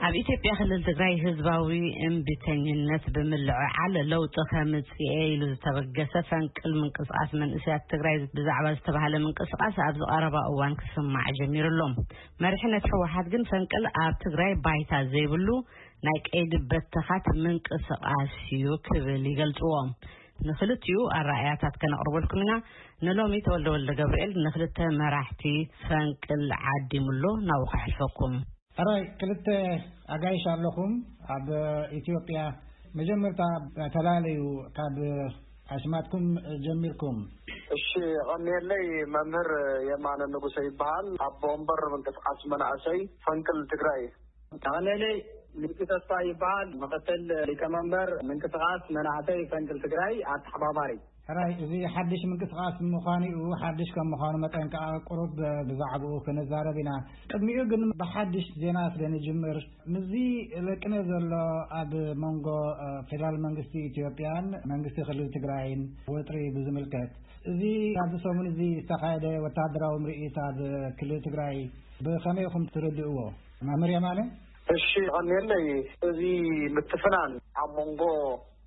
ኣብ ኢትዮጵያ ክልል ትግራይ ህዝባዊ እምቢተኝነት ብምልዕዓል ለውጢ ከምጽእ ኢሉ ዝተበገሰ ፈንቅል ምንቅስቃስ መንእሰያት ትግራይ ብዛዕባ ዝተባሃለ ምንቅስቃስ ኣብዚ ቀረባ እዋን ክስማዕ ጀሚሩ ኣሎ። መሪሕነት ህወሓት ግን ፈንቅል ኣብ ትግራይ ባይታ ዘይብሉ ናይ ቀይዲ በተኻት ምንቅስቃስ እዩ ክብል ይገልጽዎ። ንክልቲኡ ኣረኣእያታት ከነቕርበልኩም ኢና። ንሎሚ ተወልደ ወልደ ገብርኤል ንክልተ መራሕቲ ፈንቅል ዓዲሙሎ ናብኡ ከሕልፈኩም። ሕራይ ክልተ ኣጋይሽ ኣለኹም ኣብ ኢትዮጵያ። መጀመርታ ተላለዩ ካብ ኣስማትኩም ጀሚርኩም። እሺ፣ ቐንየለይ መምህር የማነ ንጉሰ ይበሃል። ኣቦ ወንበር ምንቅስቃስ መናእሰይ ፈንቅል ትግራይ። ቐንየለይ ምልኪ ተስፋ ይበሃል። ምክትል ሊቀመንበር ምንቅስቃስ መናእሰይ ፈንቅል ትግራይ ኣተሓባባሪ። ሕራይ፣ እዚ ሓድሽ ምንቅስቃስ ምዃኑ እዩ። ሓድሽ ከም ምዃኑ መጠን ከኣ ቁሩብ ብዛዕባኡ ክንዛረብ ኢና። ቅድሚኡ ግን ብሓድሽ ዜና ስለ ንጅምር፣ ምስዚ ለቅነ ዘሎ ኣብ መንጎ፣ እ፣ ፌደራል መንግስቲ ኢትዮጵያን መንግስቲ ክልል ትግራይን ወጥሪ ብዝምልከት፣ እዚ ኣብዚ ሰሙን እዚ ዝተኻየደ ወተሃደራዊ ምርኢት ኣብ ክልል ትግራይ ብኸመይ ኢኹም ትርድእዎ? መምህር የማነ? እሺ፣ ቐንየለይ፣ እዚ ምትፍናን ኣብ መንጎ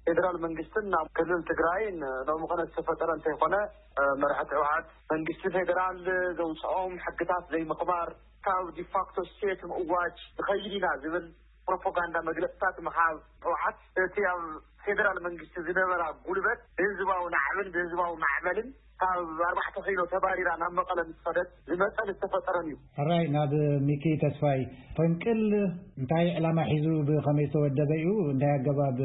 ፌደራል መንግስትን ናብ ክልል ትግራይን ሎሚ ኾነ ዝተፈጠረ እንተይኮነ፣ እ፣ መራሕቲ ህወሓት መንግስቲ ፌደራል ዘውፅኦም ሕግታት ዘይምኽባር፣ ካብ ዲፋክቶ ስቴት ምእዋጅ ንኸይድ ኢና ዝብል ፕሮፓጋንዳ መግለፅታት ምሃብ፣ ህወሓት እቲ ኣብ ፌደራል መንግስቲ ዝነበራ ጉልበት ብህዝባዊ ናዕብን ብህዝባዊ ማዕበልን ካብ ኣርባዕተ ኪሎ ተባሪራ ናብ መቐለ ምስ ኸደት ዝመፀን ዝተፈጠረን እዩ። ሕራይ፣ ናብ ሚኪ ተስፋይ። ፈንቅል እንታይ ዕላማ ሒዙ ብኸመይ ዝተወደበ እዩ? እንታይ ኣገባብ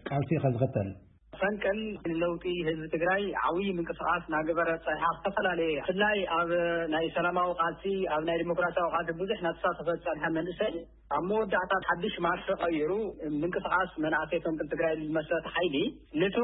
ቃልሲ ኸ ዝኽተል? ፈንቅል ንለውጢ ህዝቢ ትግራይ ዓብዪ ምንቅስቃስ እናገበረ ፀኒሓ፣ ዝተፈላለየ ብፍላይ ኣብ ናይ ሰላማዊ ቃልሲ፣ ኣብ ናይ ዲሞክራሲያዊ ቃልሲ ብዙሕ እናተሳተፈ ዝፀንሐ መንእሰይ፣ ኣብ መወዳእታ ሓድሽ ማርሽ ቀይሩ ምንቅስቃስ መናእሰይ ፈንቅል ትግራይ ዝመስረተ ሓይሊ፣ ነቲ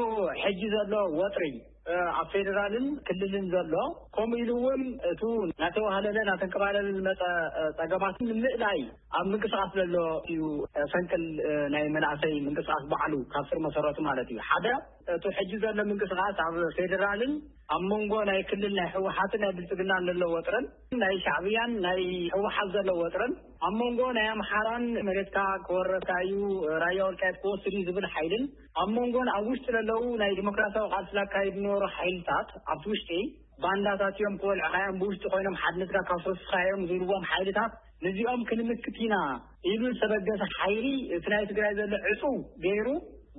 ሕጂ ዘሎ ወጥሪ፣ እ፣ ኣብ ፌደራልን ክልልን ዘሎ፣ ከምኡ ኢሉ እውን እቱ እናተዋህለለ እናተንከባለለ ዝመፀ፣ እ፣ ፀገማት ንምእላይ ኣብ ምንቅስቃስ ዘሎ እዩ። እ፣ ፈንቅል፣ እ፣ ናይ መናእሰይ ምንቅስቃስ ባዕሉ ካብ ስር መሰረቱ ማለት እዩ። ሓደ፣ እቱ ሕጂ ዘሎ ምንቅስቃስ ኣብ ፌደራልን ኣብ መንጎ ናይ ክልል ናይ ህወሓትን ናይ ብልፅግናን ዘሎ ወጥርን፣ ናይ ሻዕብያን ናይ ህወሓት ዘሎ ወጥርን፣ ኣብ መንጎ ናይ ኣምሓራን መሬትካ ክወረካ እዩ፣ ራያ ወልቃይት ክወስድ እዩ ዝብል ሓይልን፣ ኣብ መንጎን ኣብ ውሽጢ ዘለዉ ናይ ዲሞክራሲያዊ ቃልሲ ዘካይዱ ዝነበሩ ሓይልታት ኣብቲ ውሽጢ ባንዳታት እዮም፣ ክበልዑኻ እዮም፣ ብውሽጢ ኮይኖም ሓድነትካ ካብ ሰስኻ እዮም ዝብልዎም ሓይልታት፣ ነዚኦም ክንምክት ኢና ኢሉ ዝተበገሰ ሓይሊ፣ እቲ ናይ ትግራይ ዘሎ ዕጹው ገይሩ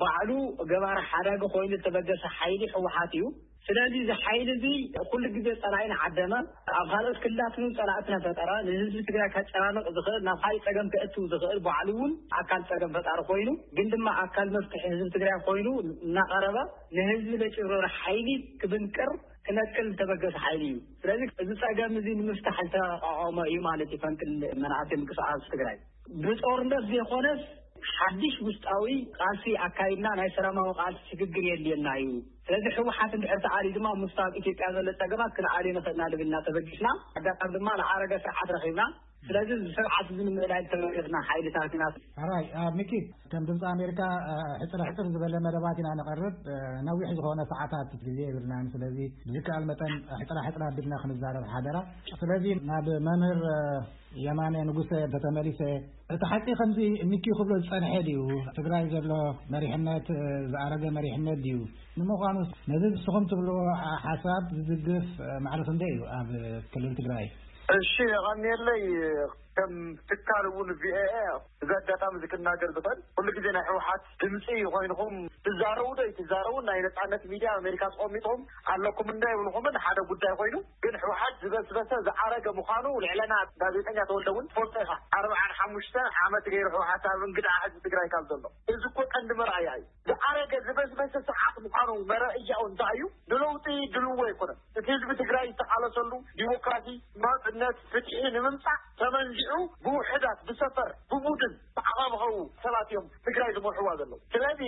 ባዕሉ ገባሪ ሓዳጊ ኮይኑ ዝተበገሰ ሓይሊ ህወሓት እዩ። ስለዚ እዚ ሓይሊ እዚ ኩሉ ግዜ ጸላኢ እናዓደመ፣ ኣብ ካልኦት ክልላት እውን ጸላእቲ እናፈጠረ፣ ንህዝቢ ትግራይ ከጨናንቕ ዝኽእል፣ ናብ ካልእ ጸገም ከእትው ዝኽእል፣ ባዕሉ እውን ኣካል ጸገም ፈጣሪ ኮይኑ፣ ግን ድማ ኣካል መፍትሒ ህዝቢ ትግራይ ኮይኑ እናቐረበ፣ ንህዝቢ ለጭብረረ ሓይሊ ክብንቅር ክነቅል ዝተበገሰ ሓይሊ እዩ። ስለዚ እዚ ጸገም እዚ ንምፍታሕ ዝተቋቋመ እዩ ማለት እዩ ፈንቅል መናእሰይ ምንቅስቃስ ትግራይ። ብጦርነት ዘይኮነስ ሓድሽ ውሽጣዊ ቃልሲ ኣካይድና ናይ ሰላማዊ ቃልሲ ሽግግር የድልየና እዩ። ስለዚ ህወሓት እንድሕር ተኣልዩ ድማ ምስቲ ኣብ ኢትዮጵያ ዘሎ ጸገማት ክንኣልዮ ንኽእል ኢና ልብል ኢና ተበጊስና። ኣጋጣሚ ድማ ዝዓረገ ስርዓት ረኺብና። ስለዚ እዚ ስርዓት እዚ ንምእላይ ዝተበገስና ሓይልታት ኢና። ሕራይ፣ አ፣ ሚኪ፣ ከም ድምፂ ኣሜሪካ፣ አ፣ ሕፅረ ሕፅር ዝበለ መደባት ኢና ነቐርብ። አ፣ ነዊሕ ዝኾነ ሰዓታት ግዜ የብልናን። ስለዚ ብዝከኣል መጠን ሕፅራ ሕፅራ ኣቢልና ክንዛረብ ሓደራ። ስለዚ ናብ መምህር፣ አ፣ የማነ ንጉሰ እንተተመሊሰ፣ እቲ ሓቂ ከምዚ ሚኪ ክብሎ ዝጸንሐ ድዩ? ትግራይ ዘሎ መሪሕነት፣ እ፣ ዝኣረገ መሪሕነት ድዩ? ንምዃኑ ነዚ ንስኹም ትብልዎ ሓ-፣ ሓሳብ ዝድግፍ፣ እ፣ ማዕረ ክንደይ እዩ ኣብ ክልል ትግራይ? እሺ፣ የቐንየለይ። ከም ትካል እውን ቪኦኤ እዚ ኣጋጣሚ እዚ ክናገር ዝኽእል፣ ኩሉ ግዜ ናይ ህወሓት ድምፂ ኮይንኹም ትዛረቡ ዶ ኣይትዛረቡ፣ ናይ ነፃነት ሚድያ ኣሜሪካ ተቐሚጥኹም ኣለኩም እንዳ ይብልኹምን ሓደ ጉዳይ ኮይኑ፣ ግን ህወሓት ዝበስበሰ ዝዓረገ ምዃኑ ልዕለና ጋዜጠኛ ተወልደ እውን ትፈልጦ ኢኻ። ኣርብዓን ሓሙሽተን ዓመት ገይሩ ህወሓት ኣብ እንግድዓ ህዝቢ ትግራይ ካብ ዘሎ፣ እዚ እኮ ቀንዲ መርኣያ እዩ። ዝዓረገ ዝበስበሰ ስርዓት ምዃኑ መረእያኡ እንታይ እዩ? ንለውጢ ድልዎ ኣይኮነን። እቲ ህዝቢ ትግራይ ዝተቓለሰሉ ዲሞክራሲ፣ ናፅነት፣ ፍትሒ ንምምፃእ ተመንዚዑ ብውሕዳት፣ ብሰፈር፣ ብቡድን፣ ብዓኻብኸው ሰባት እዮም ትግራይ ዝመርሕዋ ዘለዉ። ስለዚ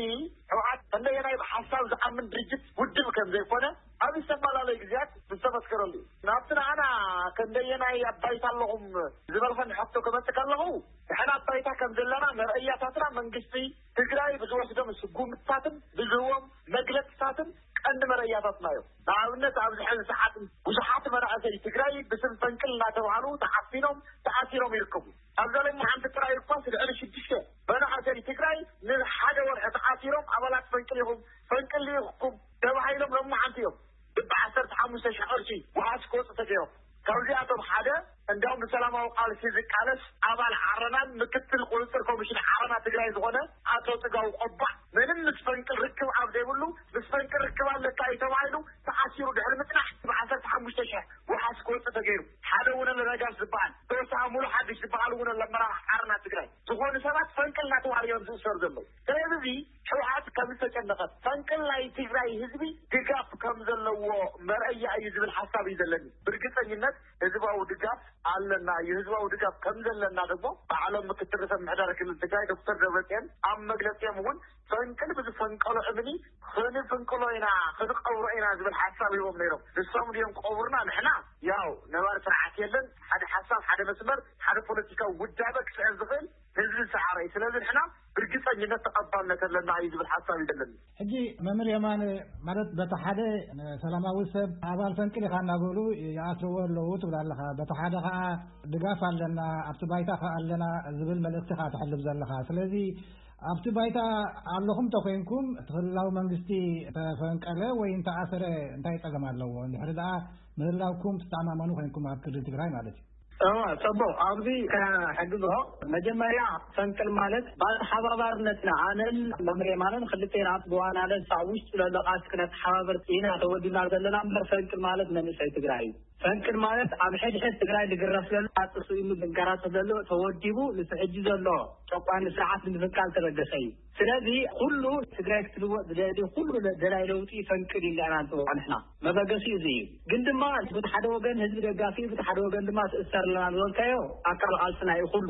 ህወሓት እንደየናይ ብሓሳብ ዝኣምን ድርጅት ውድብ ከም ዘይኮነ ኣብ ዝተፈላለየ ግዜያት ዝተመስከረሉ እዩ። ናብቲ ንዓና ከንደየናይ ኣባይታ ኣለኹም ዝበልኸኒ ሕቶ ከመፅእ ከለኹ፣ ንሕና ኣባይታ ከም ዘለና መርኣያታትና መንግስቲ ትግራይ ብዝወስዶም ስጉምትታትን ብዝህቦም መግለፅታትን ቀንዲ መረእያታትና እዮም። ንኣብነት ኣብዚ ሕዚ ሰዓት ብዙሓት መናእሰይ ትግራይ ብስም ፈንቅል እናተባህሉ ተዓፊኖም ተኣሲሮም ይርከቡ። ኣብዛ ሎሚ ሓንቲ ጥራይ እኳስ ልዕሊ ሽዱሽተ ፈንቅል ልኢኽኩም ተባሂሎም ሎማዓንቲ እዮም ብዓሰርተ ሓሙሽተ ሺሕ ቅርሺ ዋሕስ ክወፁ ተገይሮም። ካብዚኣቶም ሓደ እንዲያውም ብሰላማዊ ቃልሲ ዝቃለስ ኣባል ዓረናን ምክትል ቁፅፅር ኮሚሽን ዓረና ትግራይ ዝኾነ ኣቶ ፅጋቡ ቆባዕ ምንም ምስ ፈንቅል ርክብ ኣብ ዘይብሉ ምስ ፈንቅል ርክብ ኣለካ እዩ ተባሂሉ ተኣሲሩ ድሕሪ ምፅናሕ ብዓሰርተ ሓሙሽተ ሺሕ ዋሕስ ክወፅእ ተገይሩ። ሓደ እውን ለነጋሽ ዝበሃል ተወሳኺ ሙሉ ሓድሽ ዝበሃል እውን ለመራሕቲ ዓረና ትግራይ ዝኾኑ ሰባት ፈንቅል እናተባህሉ እዮም ዝእሰሩ ዘለዉ። ስለዚ ህወሓት ከም ዝተጨነቐት ፈንቅል ናይ ትግራይ ህዝቢ ድጋፍ ከም ዘለዎ መርኣያ እዩ ዝብል ሓሳብ እዩ ዘለኒ። ብርግፀኝነት ህዝባዊ ድጋፍ ኣለና እዩ። ህዝባዊ ድጋፍ ከም ዘለና ደግሞ ባዕሎም ምክትል ርእሰ ምምሕዳር ክልል ትግራይ ዶክተር ደብረፅዮን ኣብ መግለፂኦም እውን ፈንቅል ብዝፈንቀሎ እምኒ ክንፍንቅሎ ኢና ክንቀብሮ ኢና ዝብል ሓሳብ ሂቦም ነይሮም። ንሶም ድዮም ቀቡርና ንሕና ያው ነባር ስርዓት የለን ሓደ ሓሳብ ሓደ መስመር ሓደ ፖለቲካዊ ውዳበ ክስዕር ዝኽእል ህዝቢ ሰዓረ እዩ። ስለዚ ንሕና ብርግፀኝነት ተቐባልነት ኣለና እዩ ዝብል ሓሳብ እዩ ዘለኒ። ሕጂ መምህር የማነ ማለት በቲ ሓደ ሰላማዊ ሰብ ኣባል ፈንቅል ኢኻ እናበሉ ይኣስርዎ ኣለዉ ትብል ኣለኻ። በቲ ሓደ ከዓ ድጋፍ ኣለና ኣብቲ ባይታ ከዓ ኣለና ዝብል መልእክቲ ኢኻ ትሕልፍ ዘለኻ። ስለዚ ኣብቲ ባይታ ኣለኹም ተኮይንኩም እቲ ክልላዊ መንግስቲ ተፈንቀለ ወይ እንተኣሰረ እንታይ ጸገም ኣለዎ? እንድሕሪ ደኣ ምህላውኩም ትተኣማመኑ ኮይንኩም ኣብ ክልል ትግራይ ማለት እዩ። እወ፣ ጽቡቕ። ኣብዚ ከሕግዞ፣ መጀመርያ ፈንቅል ማለት ብኣተሓባባርነትና ኣነን መምህር የማነን ክልቴና ብዋናነት ኣብ ውሽጢ ዘሎ ቃልሲ ክነተሓባብር ኢና ተወዲብና ዘለና እምበር ፈንቅል ማለት መንእሰይ ትግራይ እዩ። ፈንቅል ማለት ኣብ ሕድሕድ ትግራይ ዝግረፍ ዘሎ፣ ኣጥሱ ኢሉ ዝንከራተት ዘሎ፣ ተወዲቡ ንሱ ሕጂ ዘሎ ጨቋኒ ስርዓት ንምፍንቃል ተበገሰ እዩ። ስለዚ ኩሉ ትግራይ ክትልወጥ ዝደሊ ኩሉ ደላይ ለውጢ ፈንቅል ኢልና ኢና ንፅውዖ ንሕና። መበገሲ እዚ እዩ። ግን ድማ በቲ ሓደ ወገን ህዝቢ ደጋፊ እዩ፣ በቲ ሓደ ወገን ድማ ትእሰር ኣለና ዝበልካዮ ኣካል ቃልስና እዩ ኩሉ።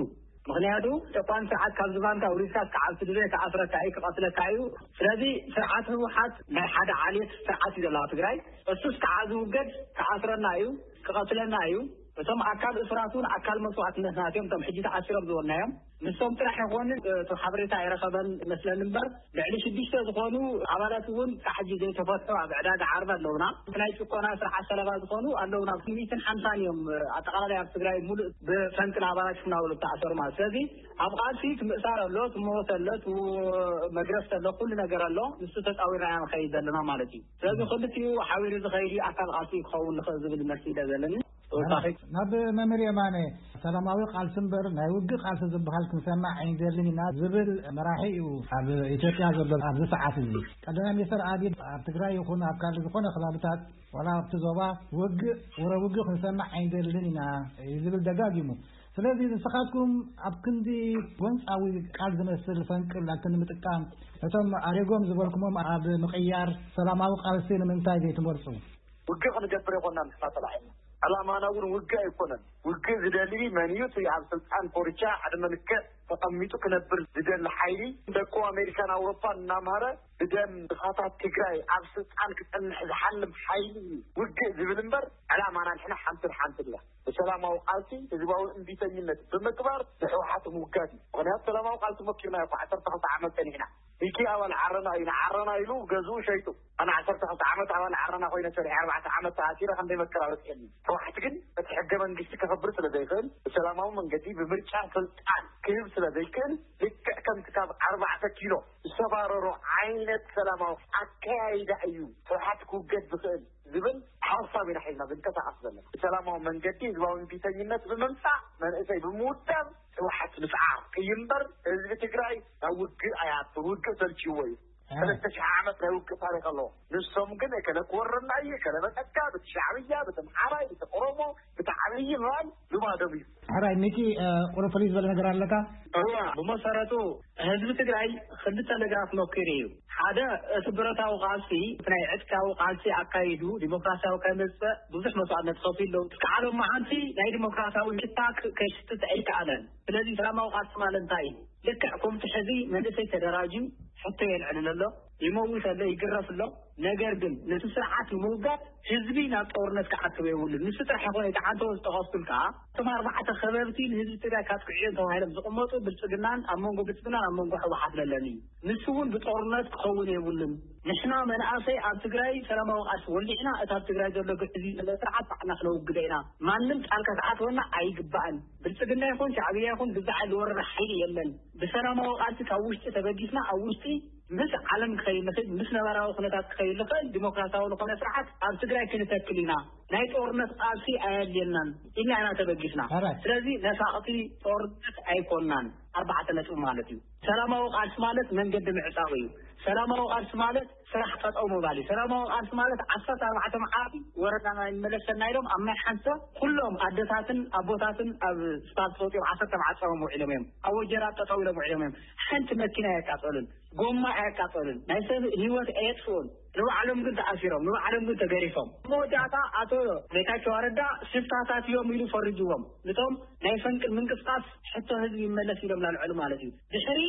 ምኽንያቱ ጨቋኒ ስርዓት ካብ ዝባንካ ውሪድካ እስካዕ ኣብ ስድሪ ከኣስረካ እዩ፣ ክቐትለካ እዩ። ስለዚ ስርዓት ህወሓት ናይ ሓደ ዓሌት ስርዓት እዩ ዘለዋ ትግራይ። እሱ እስካዕ ዝውገድ ክኣስረና እዩ፣ ክቐትለና እዩ። እቶም ኣካል እሱራት እውን ኣካል መስዋእትነትና እዮም። እቶም ሕጂ ተኣሲሮም ዝበልናዮም ንሶም ጥራሕ ይኾኑ። እቲ ሓበሬታ ኣይረኸበን መስለኒ እምበር ልዕሊ ሽዱሽተ ዝኾኑ ኣባላት እውን ክሳዕ ሕጂ ዘይተፈትሑ ኣብ ዕዳጋ ዓርቢ ኣለውና። እቲ ናይ ጭቆና ስርዓት ሰለባ ዝኾኑ ኣለውና። ሚእትን ሓምሳን እዮም ኣጠቓላላይ ኣብ ትግራይ ሙሉእ ብፈንቅል ኣባላት ሽፍናውሉ ዝተኣሰሩ ማለት። ስለዚ ኣብ ቃልሲ እቲ ምእሳር ኣሎ፣ እቲ ሞት ኣሎ፣ እቲ መግረፍቲ ኣሎ፣ ኩሉ ነገር ኣሎ። ንሱ ተፃዊርና ኢና ንኸይድ ዘለና ማለት እዩ። ስለዚ ክልቲኡ ሓቢሩ ዝኸይድ እዩ ኣካል ቃልሲ ክኸውን ንኽእል ዝብል መልሲ ኢለ ዘለኒ። ተወሳኺ ናብ መምህር የማነ ሰላማዊ ቃልሲ እምበር ናይ ውግእ ቃልሲ ዝበሃል ክንሰማዕ ኣይንደልን ኢና ዝብል መራሒ እዩ ኣብ ኢትዮጵያ ዘሎ ኣብዚ ሰዓት እዚ። ቀዳማይ ሚኒስትር ኣቢይ ኣብ ትግራይ ይኹን ኣብ ካልእ ዝኾነ ከባብታት ዋላ ኣብቲ ዞባ ውግእ ወረ ውግእ ክንሰማዕ ኣይንደልን ኢና እዩ ዝብል ደጋጊሙ። ስለዚ ንስኻትኩም ኣብ ክንዲ ጎንፃዊ ቃል ዝመስል ፈንቅል ኣብቲ ንምጥቃም እቶም ኣሪጎም ዝበልኩሞም ኣብ ምቕያር ሰላማዊ ቃልሲ ንምንታይ ዘይትመርፁ? ውግእ ክንገብር ኣይኮናን ንሕና ተላዒልና። ዕላማና እውን ውግእ ኣይኮነን። ውግእ ዝደሊ መን እዩ? እቲ ኣብ ስልጣን ኮርቻ ዕድመ ልክዕ ተቐሚጡ ክነብር ዝደሊ ሓይሊ ደቁ ኣሜሪካን ኣውሮፓን እናምሃረ ብደም ድኻታት ትግራይ ኣብ ስልጣን ክጸንሕ ዝሓልም ሓይሊ እዩ ውግእ ዝብል እምበር ዕላማና ንሕና ሓንትን ሓንትን እያ። ብሰላማዊ ቃልሲ ህዝባዊ እምቢተኝነት ብምግባር ንሕወሓት ምውጋድ እዩ። ምኽንያቱ ሰላማዊ ቃልሲ መኪርና እኮ ዓሰርተ ክልተ ዓመት ጸኒሕና። ሚኪ ኣባል ዓረና እዩ፣ ንዓረና ኢሉ ገዝኡ ሸይጡ። ኣነ ዓሰርተ ክልተ ዓመት ኣባል ዓረና ኮይነ ሰሪሐ ኣርባዕተ ዓመት ተኣሲረ ክንደይ መከራ በፂሐኒ። ህወሓት ግን እቲ ሕገ መንግስቲ ከኽብር ስለ ዘይኽእል ብሰላማዊ መንገዲ ብምርጫ ስልጣን ክህብ ስለ ዘይክእል ልክዕ ከምቲ ካብ ኣርባዕተ ኪሎ ዝተባረሮ ዓይነት ሰላማዊ ኣከያይዳ እዩ ህወሓት ክውገድ ዝኽእል ዝብል ሓሳብ ኢና ሒዝና ዝንቀሳቐስ ዘለና። ብሰላማዊ መንገዲ ህዝባዊ እምቢተኝነት ብምምፃእ መንእሰይ ብምውዳብ ህወሓት ምስዓር እዩ እምበር ህዝቢ ትግራይ ናብ ውግእ ኣይኣቱን። ውግእ ሰልችዎ እዩ። ሰለስተ ሽሕ ዓመት ናይ ውግእ ታሪክ ኣለዎ። ንሶም ግን እከለ ክወረና እዩ፣ እከለ በጠካ፣ ብቲ ሻዕብያ፣ ብቲ ኣምሓራይ፣ ብቲ ኦሮሞ፣ ብቲ ዓብዪ ምባል ልማዶም እዩ። ሕራይ ሚኪ፣ ቁሩብ ፍልይ ዝበለ ነገር ኣለካ? እዋ፣ ብመሰረቱ ህዝቢ ትግራይ ክልተ ነገራት መኪሩ እዩ። ሓደ፣ እቲ ብረታዊ ቃልሲ፣ እቲ ናይ ዕጥቃዊ ቃልሲ ኣካይዱ ዲሞክራሲያዊ ከመፅእ ብዙሕ መስዋእትነት ከፊሉ። እስካዕ ሎማዓንቲ ናይ ዲሞክራሲያዊ ሽታ ክ-፣ ከይሽትት ኣይከኣለን። ስለዚ ሰላማዊ ቃልሲ ማለት እንታይ እዩ? ልክዕ ከምቲ ሕዚ መንእሰይ ተደራጅዩ ሕቶ የልዕልን ኣሎ፣ ይመውት ኣሎ፣ ይግረፍ ኣሎ። ነገር ግን ነቲ ስርዓት ንምውጋድ ህዝቢ ናብ ጦርነት ክኣትዎ የብሉን። ንሱ ጥራሕ ይኾነ፣ እቲ ዓንተቦ ዝጠቐስኩልካ፣ እቶም ኣርባዕተ ከበብቲ ንህዝቢ ትግራይ ካጥቅዑ እዮም ተባሂሎም ዝቕመጡ ብልፅግናን ኣብ መንጎ ብልፅግናን ኣብ መንጎ ህወሓት ዘለኒ እዩ። ንሱ እውን ብጦርነት ክኸውን የብሉን። ንሕና መናእሰይ ኣብ ትግራይ ሰላማዊ ቃልሲ ወሊዕና፣ እቲ ኣብ ትግራይ ዘሎ ግዕዝ ዘሎ ስርዓት ባዕልና ክነውግዶ ኢና። ማንም ጣልቃ ክኣትወና ኣይግባእን። ብልፅግና ይኹን ሻዕብያ ይኹን ግዛዕ ዝወረረ ሓይሊ የለን። ብሰላማዊ ቃልሲ ካብ ውሽጢ ተበጊስና ኣብ ውሽጢ ምስ ዓለም ክኸይድ ንኽእል፣ ምስ ነባራዊ ኩነታት ክኸይድ ንኽእል ዲሞክራሲያዊ ዝኾነ ስርዓት ኣብ ትግራይ ክንተክል ኢና። ናይ ጦርነት ቃልሲ ኣየድልየናን ኢልና ኢና ተበጊስና። Alright. ስለዚ ነፋቕቲ ጦርነት ኣይኮናን። ኣርባዕተ ነጥቢ ማለት እዩ። ሰላማዊ ቃልሲ ማለት መንገዲ ምዕጻው እዩ። ሰላማዊ ቃልሲ ማለት ስራሕ ጠጠው ምባል እዩ። ሰላማዊ ቃልሲ ማለት ዓሰርተ ኣርባዕተ መዓልቲ ወረዳና ይመለሰና ኢሎም ኣብ ማይ ሓንሰ ኩሎም ኣደታትን ኣቦታትን ኣብ ስፓልት ወፂኦም ዓሰርተ መዓልቲ ጾሞም ውዒሎም እዮም። ኣብ ወጀራት ጠጠው ኢሎም ውዒሎም እዮም። ሓንቲ መኪና ኣየቃጸሉን፣ ጎማ ኣየቃጸሉን፣ ናይ ሰብ ህይወት ኣየጥፍኡን። ንባዕሎም ግን ተኣሲሮም፣ ንባዕሎም ግን ተገሪፎም። መወዳእታ ኣቶ ጌታቸው ረዳ ሽፍታታት እዮም ኢሉ ፈሪጅዎም። ነቶም ናይ ፈንቅል ምንቅስቃስ ሕቶ ህዝቢ ይመለስ ኢሎም ላልዐሉ ማለት እዩ። ድሕሪ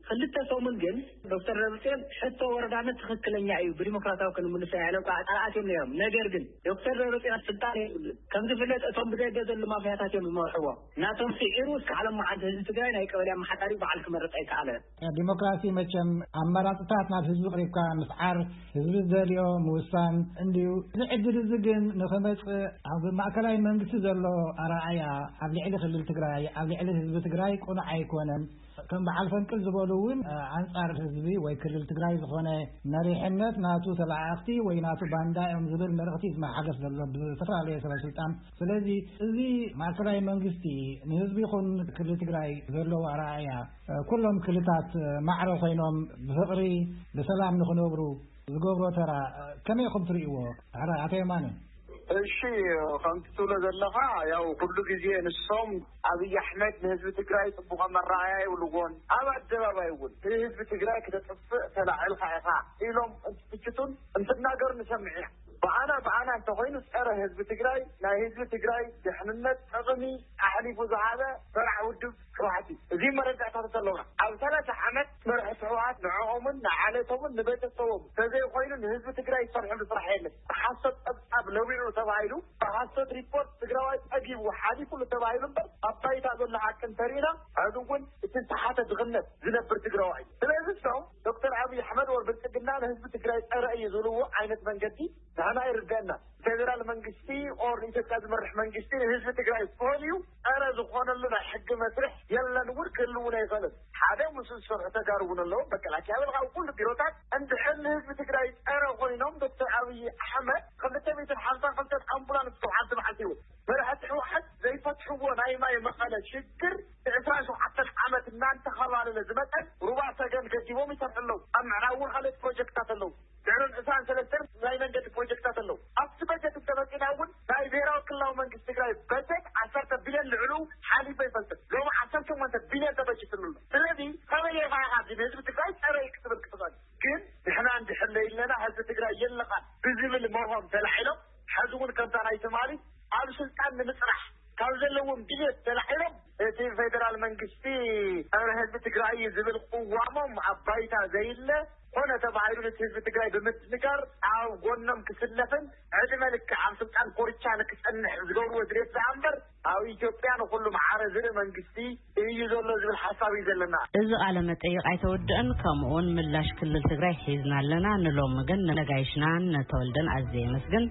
ክልተ ሰሙን ግን ዶክተር ደብረጽዮን ሕቶ ወረዳነት ትኽክለኛ እዩ፣ ብዲሞክራሲያዊ ክንምልሶ ኢና ኢሎም ከዓ ቃል ኣትዮም ነይሮም። ነገር ግን ዶክተር ደብረጽዮን ስልጣን የብሉን። ከም ዝፍለጥ እቶም ብዘይ ገደሉ ማፍያታት እዮም ዝመርሕዎ። ናቶም ስዒሩ እስከ ዓለም መዓልቲ ህዝቢ ትግራይ ናይ ቀበሌ ኣመሓዳሪ በዓል ክመርጽ ኣይከኣለን። ዲሞክራሲ መቸም ኣመራፅታት ናብ ህዝቢ ቅሪብካ ምስዓር፣ ህዝቢ ዝደልዮ ምውሳን እንድዩ። እዚ ዕድል እዚ ግን ንኽመፅእ ኣብ ማእከላይ መንግስቲ ዘሎ ኣረኣእያ ኣብ ልዕሊ ክልል ትግራይ፣ ኣብ ልዕሊ ህዝቢ ትግራይ ቅኑዕ ኣይኮነን። ከም በዓል ፈንቅል ዝበሉ እውን ኣንፃር ህዝቢ ወይ ክልል ትግራይ ዝኾነ መሪሕነት ናቱ ተለኣእኽቲ ወይ ናቱ ባንዳ እዮም ዝብል መልእኽቲ ይመሓለፍ ዘሎ ብዝተፈላለየ ሰበ ስልጣን። ስለዚ እዚ ማእከላይ መንግስቲ ንህዝቢ ይኹን ክልል ትግራይ ዘለዎ ኣረኣእያ ኩሎም ክልታት ማዕረ ኮይኖም ብፍቕሪ ብሰላም ንኽነብሩ ዝገብሮ ተራ ከመይ ኢኹም ትርእይዎ? ሕራይ ኣቶ የማነ። እሺ፣ ከምቲ ትብሎ ዘለኻ ያው ኩሉ ግዜ ንሶም ኣብይ ኣሕመድ ንህዝቢ ትግራይ ጽቡቕ መረኣያ ይብልዎን ኣብ ኣደባባይ እውን ንህዝቢ ትግራይ ክተጥፍእ ተላዒልካ ኢኻ ኢሎም እንትትችቱን እንትናገሩ ንሰምዕ ኢና። ብኣና ብኣና እንተኾይኑ ጸረ ህዝቢ ትግራይ ናይ ህዝቢ ትግራይ ድሕንነት ጥቕሚ ኣሕሊፉ ዝሃበ በራዕ ውድብ ህወሓት እዩ። እዚ መረዳእታት ኣለውና። ኣብ ሰላሳ ዓመት መራሕቲ ህወሓት ንዕኦምን ንዓለቶምን ንቤተሰቦም ተዘይኮይኑ ንህዝቢ ትግራይ ዝሰርሐሉ ስራሕ የለን። ብሓሶት ጸብጻብ ለዊዑ ተባሂሉ ብሓሶት ሪፖርት ትግራዋይ ጸጊቡ ሓሊፉሉ ተባሂሉ እምበር ኣብ ባይታ ዘሎ ሓቂ እንተሪእና ሕዚ እውን እቲ ዝተሓተ ድኽነት ዝነብር ትግራዋይ እዩ። ስለዚ እሶም ዶክተር ኣብይ ኣሕመድ ወር ብልጽግና ንህዝቢ ትግራይ ጸረ እዩ ዝብልዎ ዓይነት መንገዲ ንሕና ይርደአና። ፌደራል መንግስቲ ኦር ንኢትዮጵያ ዝመርሕ መንግስቲ ንህዝቢ ትግራይ ፈሊዩ ጸረ ዝኾነሉ ናይ ሕጊ መስርሕ የለን እውን ክህልውን ኣይኽእልን። ሓደ ምስኡ ዝሰርሑ ተጋሩ እውን ኣለዉ። መከላከያ በል ካብ ኩሉ ቢሮታት እንድሕር ንህዝቢ ትግራይ ጸረ ኮይኖም ዶክተር ኣብይ ኣሕመድ ክልተ ሚእትን ሓምሳን ክልተን ኣምቡላንስ ካብ ሓንቲ መዓልቲ ይውል መራሕቲ ህወሓት ዘይፈትሕዎ ናይ ማይ መቐለ ሽግር ዕስራን ሸውዓተን ዓመት እናንተኸባለለ ዝመጠን ሩባ ሰገን ገዲቦም ይሰርሑ ኣለዉ። ኣብ ምዕራብ እውን ካልኦት ፕሮጀክትታት ኣለዉ። ድሕርን ዕስራን ሰለስተን ናይ መንገዲ ፕሮጀክታት ኣለዉ። ኣብቲ በጀት እንተመፂና እውን ናይ ብሔራዊ ክልላዊ መንግስቲ ትግራይ በጀት ዓሰርተ ቢልዮን ልዕሉ ሓሊፉ ኣይፈልጥን። ሎሚ ዓሰርተ ሸሞንተ ቢልዮን ተበጅትሉ ኣሎ። ስለዚ ከመይ ኢኻ ኢኻ እዚ ንህዝቢ ትግራይ ጸረ እዩ ክትብል ክትኽእል? ግን ንሕና እንድሕር ለይለና ህዝቢ ትግራይ የለኻን ብዝብል መርሆም ተላዒሎም ሕዚ እውን ከምታ ናይ ትማሊ ኣብ ስልጣን ንምፅራሕ ካብ ዘለዎም ድሌት ተላዒሎም እቲ ፌደራል መንግስቲ ጸረ ህዝቢ ትግራይ እዩ ዝብል ቅዋሞም ኣብ ባይታ ዘይለ ኮነ ተባሂሉ ነቲ ህዝቢ ትግራይ ብምድንጋር ኣብ ጎኖም ክስለፍን ዕድመ ልክዕ ኣብ ስልጣን ኮርቻ ንክጸንሕ ዝገብርዎ ድሌት ዝኣ እምበር ኣብ ኢትዮጵያ ንኹሉ መዓረ ዝርኢ መንግስቲ እዩ ዘሎ ዝብል ሓሳብ እዩ ዘለና። እዚ ቃለ መጠይቕ ኣይተወድእን፣ ከምኡውን ምላሽ ክልል ትግራይ ሒዝና ኣለና። ንሎሚ ግን ነጋይሽናን ነተወልደን ኣዝየ የመስግን።